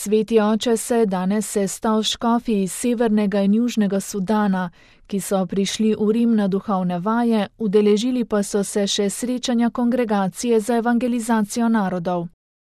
Sveti oče se je danes sestal s škofi iz Severnega in Južnega Sudana, ki so prišli v Rim na duhovne vaje, udeležili pa so se še srečanja kongregacije za evangelizacijo narodov.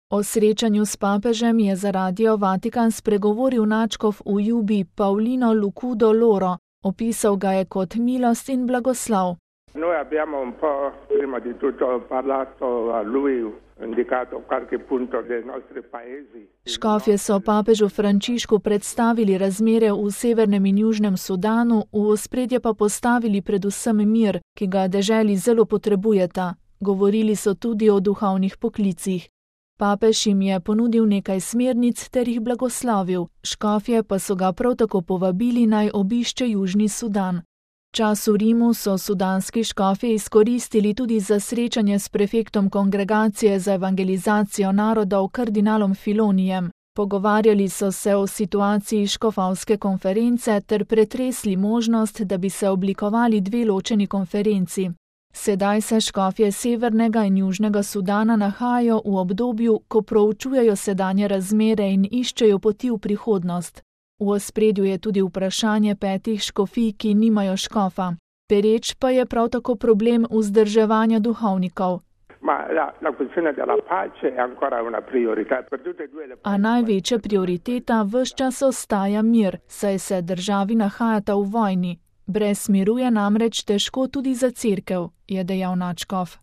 O srečanju s papežem je za Radio Vatikan spregovoril nadškof v Jubi Paolino Lucudo Loro, opisal ga je kot milost in blagoslov. Noi abbiamo un po' prima di tutto parlato a lui, indicato qualche punto dei nostri paesi. Škofje so papežu Frančišku predstavili razmere v Severnem in Južnem Sudanu, v ospredje pa postavili predvsem mir, ki ga deželi zelo potrebujeta. Govorili so tudi o duhovnih poklicih. Papež jim je ponudil nekaj smernic ter jih blagoslovil, škofje pa so ga prav tako povabili, naj obišče Južni Sudan. Čas v Rimu so sudanski škofje izkoristili tudi za srečanje s prefektom kongregacije za evangelizacijo narodov kardinalom Filonijem. Pogovarjali so se o situaciji škofovske konference ter pretresli možnost, da bi se oblikovali dve ločeni konferenci. Sedaj se škofje Severnega in Južnega Sudana nahajajo v obdobju, ko proučujejo sedanje razmere in iščejo poti v prihodnost. V ospredju je tudi vprašanje 5 škofij, ki nimajo škofa. Pereč pa je prav tako problem vzdrževanja duhovnikov. A največja prioriteta ves čas ostaja mir, saj se državi nahajata v vojni. Brez miru je namreč težko tudi za cerkev, je dejal nadškof.